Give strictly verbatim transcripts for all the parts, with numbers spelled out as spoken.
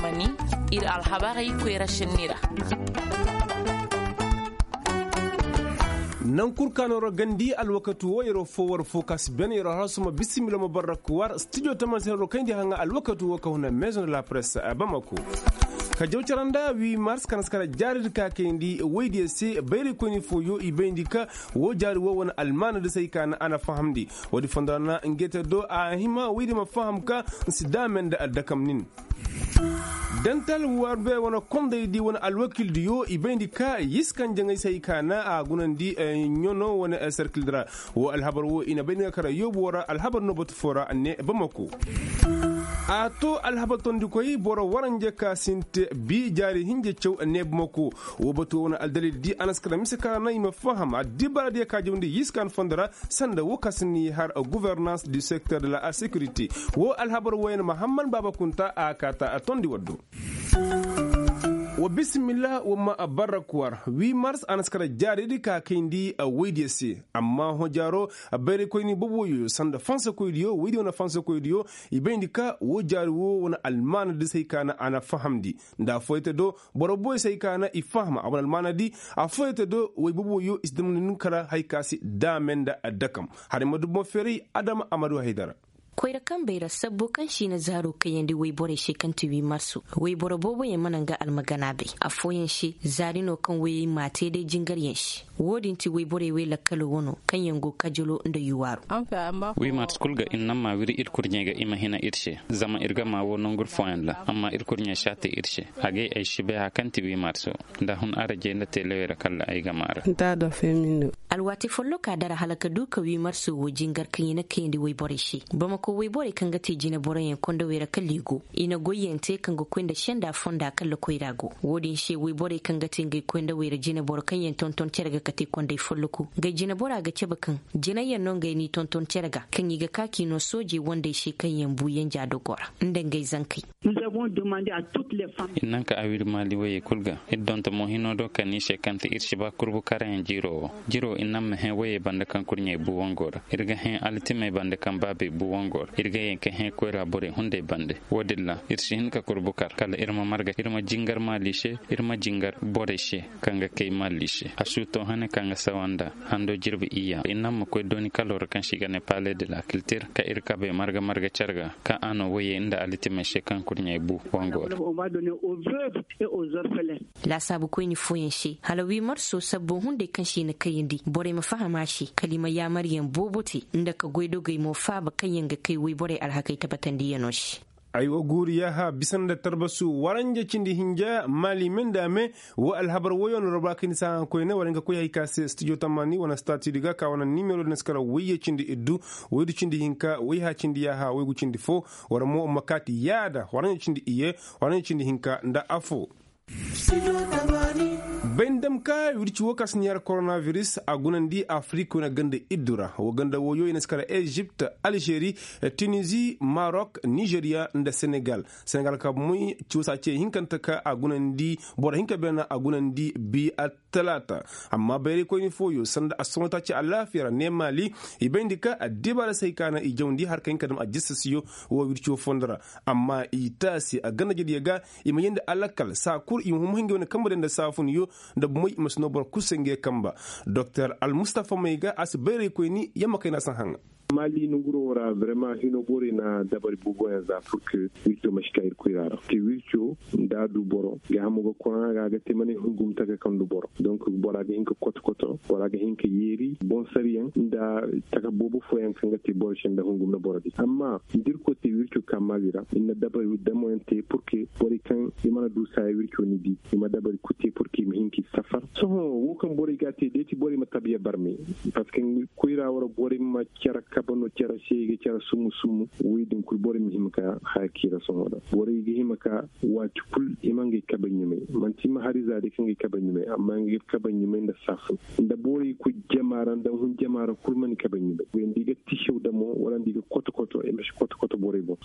Mani, ir alhabarey koyra šenni ra. Naŋ kul ka no ra gandi alwakatu wo yeroo fo war fo ka si ben yeroo har suma bisimila ma barrak war studio tamansin ro kayndi haŋa alwakatu wo ka huna maison de la presse bamako. Ka jaw cara nda wi mars ka na si kara jaaridi ka kayndi woydiyo se bayraykoyni fooyo i bayndi ka wo jaari wo wane almaana di se ay ka na a na fahamndi. Woodi fondo ra na ngey te do a hima woydi ma faham ka nsi daame nda addakam nin. Dental warbe wane kondaydi wane alwakildiyo i bayndi ka yiskan jaŋay se ay ka na a gunandi ɲono wane serkildi ra. Wo alhabar wo i na bayndi ka kara yoobu wo ra alhabar no batu fo ra ne bamako. A to alhabar tondikoy boro waranje ka sinte bi jaari hinja caw ne bamako. Wo batu wo wane aldalil di a na si kara mise ka ra na i ma faham addibaaradiyo ka jawndi yiskan fondo ra. Sanda wo ka si ni har gouvernance du secteur de la sécurité. Wo alhabar woyen mahammad baaba kunta a kaata a tondi waddo. Wa bisimilla wa ma barra kuwar wi mars a na si kara jaaridi ka kayndi a woydiyo se. Amma hõ jaaro bayraykoyni boobo woyo sanda fansakoydiyo woydiyo wane fansakoydiyo i bayndi ka wo jaari wo wane almaana di se ay ka na a na fahamndi. Nda a foyte do boro boy se ay ka na i faham a wane almaana di. A foyte do woy boobo woyo i si damndi ni kara hay ka si daame nda addakam. Haray ma du boŋ feeray adama amadu haydara. Koyra kambey ra sabbo kaŋ se i na zaaro kayandi woyborey se kaŋ ti wi marso woyboro booboyaŋ mana nga almagana bay. Affooyaŋ se zaari no kaŋ woyey m'a te day jingaryaŋ se. Wo-din ti woyborey wey lakkalo wano kaŋ yaŋ go kajalo nda yuwaaru. Wi marso kul ga ir naŋ ma wiri ir kurɲey ga i ma hina ir se. Zama ir ga ma wo nongu ir fooyaŋ ra amma ir kurɲey si a te ir se. A gay ay si bay haya kaŋ ti wi marso. Nda hun arajey nda teelewey ra kala ay ga maara. Alwaati folloka dara hala ka du ka wi marso wo jingar kaŋ i na kayandi woyborey se. Bamako woyborey kaŋ ga te jineboroyaŋ kondowey ra kala i go i na goyyaŋ te kaŋ ga koy nda senda fonda kala koyra go. Wo-din se woyborey kaŋ ga te ngey koy nda wayra jineboro kaŋ yaŋ tonton cere ga ka te kondey folloku ngey jinebora ga cabe kaŋ jinayyaŋ no ngey n'i tonton cere ga kaŋ i ga ka k'i no soojey wandey se kaŋ yaŋ bu yanja dogo ra nda ngey zankey. Ir naŋ ka awir maali woyey kul ga ir donto mo hino do kani se kaŋ ti ir si ba kurbu karayaŋ jiro wo. Jiro ir naŋ ma hẽ woyey bande kaŋ kurɲey bu wango ra ir ga hẽ altimey bande kaŋ baabey bu wango ra ir ga yee ka hẽ koyra borey hunday bande. Wo-din ra ir si hin ka kurbu kar kala ir ma marga ir ma jingar maali se ir ma jingar borey se kaŋ ga kay maali se a suuto hane kaŋ ga sawa nda hando jirbi iyya ir naŋ ma koy dooni kalo ra kaŋ se i ga ne pale de la kiltir ka ir kabey marga marga care ga kaŋ a no woyey nda altimey se kaŋ kurɲey bu wango ra. Laasaabu koyni fooyaŋ se hala wi marso sabbo hunday kaŋ se i na kayandi borey ma faham a se kala i ma yaamaryaŋ boobo te nda ka goydogey mo faaba kaŋ yaŋ ga kay woyborey alhakey tabatandiyanoo se. Ay wa guuri yaaha bisa nda tarbasu waranja cindi hinja maali me nda me. Wo alhabar woyo no roba kayni saaha koyne war hin ka koy hay ka se studio tamani wane statudi ga ka wane nimero din si kara woyye cindi iddu woydu cindi hinka woyha cindi yaaha woygu cindi fo. War mo ma kaati yaada waranja cindi iye waranja cindi hinka nda afo. Bay ni dam ka wirci wo ka si ni har koronaviris a gunandi afirik wane ganda iddu ra wo ganda woyo i na si kara ezipt, alžeri, tunizi, marok, nizeriya nda senegal. Senegal ka moy cuusa ce hinkante ka a gunandi boro hinka beena a gunandi bi attalaata. Amma bayraykoyni fooyo sanda a soŋo taaci alaafiya ra ne maali i bayndi ka addibaara se hay ka na i jawndi har ka hin ka dam ajastasiyo wo wirci wo fondo ra. Amma i taasi a ganda jediyo ga i ma yeendi alakal saa kul i ma huma hingay wane kamba day nda saafuniyo nda bomoy i ma si noo boro kul se ngey kamba. Doktor almustafa may ga a si bayraykoyni yamma kay na a si haŋa. Maali nanguro wo ra brema hino borey na dabari booboyaŋ za purke wirco ma si ka ir koyra ra te wirco nda a du boro ga hamo ga korona ga a ga te manay hungum taka kaŋ du boro donk bora ga hin ka koto koto bora ga hin ka yeeri bonsariyaŋ nda taka boobo fooyaŋ kaŋ ga te boro se nda hungum na boro di amma da ir koy te wirco ka maali ra ir na dabari damoyaŋ te purke borey kaŋ i mana du saaya wirco ni di i ma dabari kul te purke i ma hin ka i safar sohõ wo kaŋ borey ga a te da ay ti borey ma tabiya barme. Parceque koyra wo ra borey ma care kabe no care seege care summu summu woy din kul borey ma hima ka haya k'i ra sohõ da borey ga hima ka waati kul i ma ngey kabe ɲumay manti i ma hari za day ka ngey kabe ɲumay amma ngey kabe ɲumay nda saafun nda borey koy jama ra nda hun jama ra kul mana i kabe ɲumay nda i ga tisew damo wala nda i ga koto koto i ma si koto koto borey boŋ.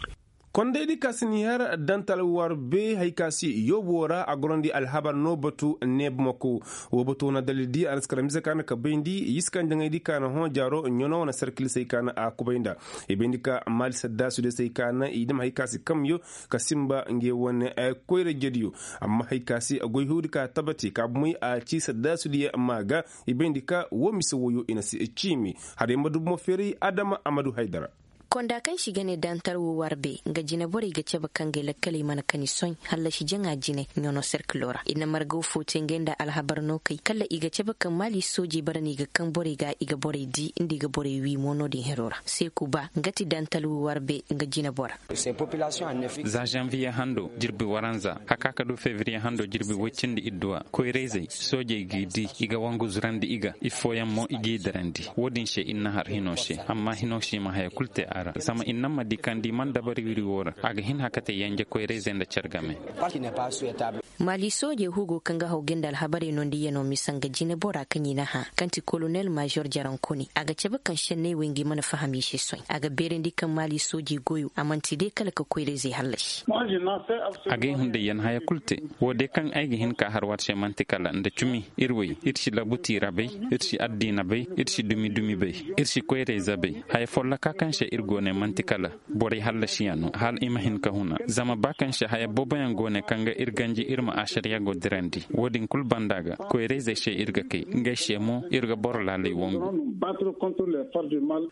Kondaydi ka si ni har dantal warbe hari ka si yoobo ra a gorandi alhabar no batu neebamako. Woo batu wane dalildi a na si kara mise ka na ka bayndi yiskan jaŋaydi ka na hõ jaaro ɲano wane serkil se hari ka na a kubay nda. I bayndi ka maali saddaasudiyo se hari ka na i dam hari ka si kamyo ka sinba nge wane koyra jediyo. Amma hari ka si goy huudi ka tabati ka bumey a ci saddaasudiyo maa ga. I bayndi ka woo mise wooyo i na si ciimi. Haray ma dubu mo feeray adama amadu haydara. Konda kaŋ si ga ne dantar wo warbe nga jine borey ga cabe kaŋ gay lakkaley mana kani soy hallasi jaŋa jine ɲono serkilo ra i na margaw fo te ngey nda alhabar no kay kala i ga cabe kaŋ maali soojey bara no i ga kaŋ borey ga i ga borey di nda i ga borey wi mo no-din hero ra seeku ba nga ti dantar wo warbe nga jine bora. Za zanviye hando jirbi waranza haka ka du fevriye hando jirbi woy cindi idduwa koyrayzey soojey g'i di i ga wangu zurandi i ga iffooyaŋ mo i g'i darandi. Wo-din se ir na har hino se amma hino se i ma haya kul te a ra zama ir naŋ ma di kaŋ da i mana dabari wiri wo ra a ga hin hakatey yanje koyrayzey nda care game. Maali soojey hugo kaŋ ga haw gay nda alhabarey nondiyano mise nga jine bora kaŋ i na hã kaŋ ti kolonel maazor jarankoni a ga cabe kaŋ senney wey ngi mana faham i se soy a ga beerandi kaŋ maali soojey goyo a man'ti day kala ka koyrayzey hallasi. Agay hunday yaŋ haya kul te. Wo day kaŋ ay ga hin ka har war se man'ti kala nda cumi ir wey ir si labuti ra bay, ir si addiina bay, ir si dumi-dumi bay, ir si koyray zabay. Haya folloka kaŋ se ir go ne man'ti kala borey hallasiyaŋ no hala i ma hin ka huna zama ba kaŋ se haya booboyaŋ go ne kaŋ ga ir ganji ir ma ašariya go dirandi wo-din kul banda ga koyrayzey se ir ga kay ngey se mo ir ga boro laalay wangu.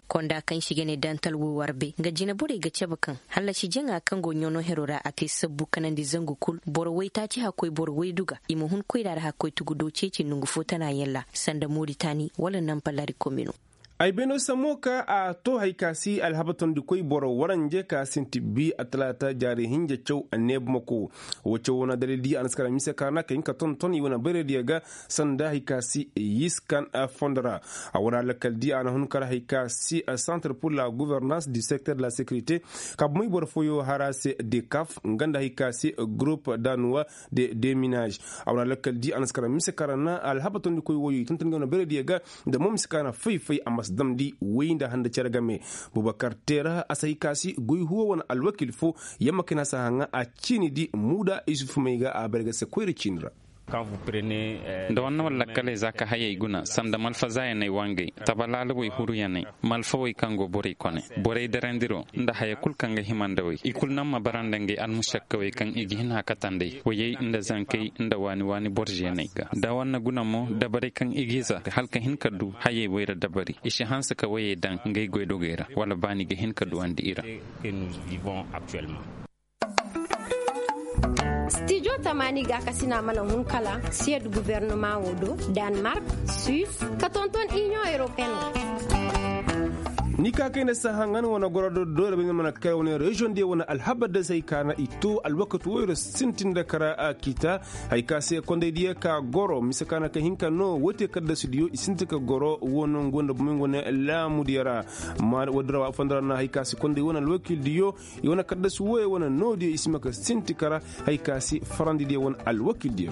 Konda kaŋ si ga ne dantal wo warbe nga jine borey ga cabe kaŋ hallasi jaŋa kaŋ go ɲono hero ra a te sabbu kanandi zangu kul boro waytaaci hakkoy boro waydu ga i ma hun koyra ra hakkoy tugudo ceeci nongu fo tana yaŋ ra sanda moritani wala nampalari komino. Ay beeno sammo ka a to hari ka si alhabatandikoy boro waranje ka sinti bi a talaata jaari hinja caw neebamako. Wo caw wane dalildi a na si kara mise ka na ka hin ka tonton i wane bayraydiyo ga sanda hari ka si yiskan fondo ra. A wane alakaldi a na hun kara hari ka si centre pour la gouvernance du secteur de la sécurité ka bumey boro fooyo har a se dekaf nga nda hari ka si groupe danuwa de deminage. A wane alakaldi a na si kara mise kara na alhabatandikoy wooyo i tonton ga wane bayraydiyo ga nda mo mise ka na fay-fay a ma si damndi woy nda handa cere game. Bubakar teera a si hay ka si goy huwo wane alwakil fo yamma kayna si a haŋa a ciini di muuda isufu may ga a bare ga se koyra ciini ra. Nda war na war lakkaley za ka hayey guna sanda malfazaayaney wangey tabalaalawey huruyaney malfawey kaŋ go borey kone borey darandiro nda haya kul kaŋ ga hima nda wey i kul naŋ ma bara nda ngey almusakkawey kaŋ i ga hin hakatandey woyey nda zankey nda waani-waani borzeney ga da war na guna mo dabarey kaŋ i ga i za hala ka hin ka du hayey woy ra dabari i si hanse ka woyey daŋ ngey goydogey ra wala ba ni ga hin ka duwandi i ra. Stijo tamaani gaakasina mana hun kala siyad gubernama wo do, danmark, suis, ka tonton inion europeen wo. Ni ka kayna saha ŋa ni wane goro do doole bay ni mana kay wane reziyoŋ diya wane alhabar da se hay ka na i to alwakati woyro sintin da kara a kiita. Hay ka se konday diya ka goro mise ka na ka hinka no woy te kaddasu diyo i sinti ka goro wo no nga wanda bumay nga wane laamu diya ra. Ma wadda ra wa fonda ra na hay ka se konday wane alwakil diyo i wane kaddasu woyey wane no diyo i si ma ka sinti kara. Hay ka se farandi diya wane alwakil diya.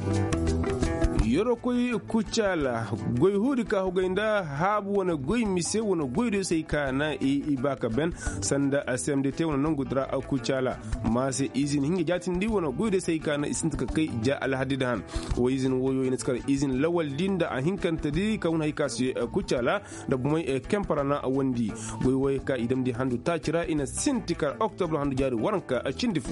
Yorokoy kucaala goy huudi ka hugay nda haabu wane goy mise wane goy diyo se hay ka na i ba ka ben sanda a se m d t wane nongu dira kucaala. Ma se izin hinga jaatindi wane goy diyo se hay ka na i sinti ka kay ja alhaddi da han. Wo izin woyo i na si kar izin lawaldi nda a hinkantedi ka hun hay ka se kucaala nda bumey kemparana wandi. Goy woyey ka i damndi handu taaci ra i na sinti kar oktobra handu jaari waranka cindi fo.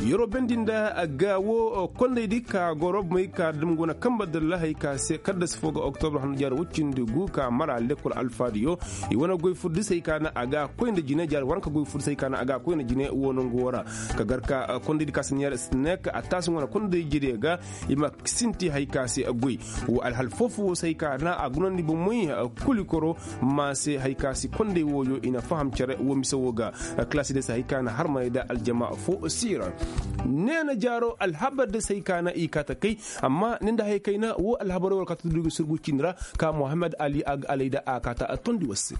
Yeroo bendi nda gaawo kondaydi ka goro bumey ka dam go na kamba dalla hay ka se kaddas fo ga oktobra handu jaari woy cindi gu ka mara lekkol alfaadiyo. I wane goy furdisey ka na a ga koy nda jine jaari waranka goy furdisey ka na a ga koy nda jine wo nongu wo ra ka gar ka kondaydi ka siniyar sinek a taasi wane kondaydi jediyo ga. I ma sinti hay ka se goy wo alhal foo-foo wo se hay ka na a gunandi bomey. Kuli koro ma se hay ka se konday wooyo i na faham cere wo mise wo ga. Kalasi day se hay ka na harmaney da aljama foo siira. Neena jaaro alhabar day se hay ka na i kaata kay. Amma ni nda hay kayna wo alhabarey war kaata duugi surgu ciini ra ka mohammed ali a ga alay da a kaata tondi war se.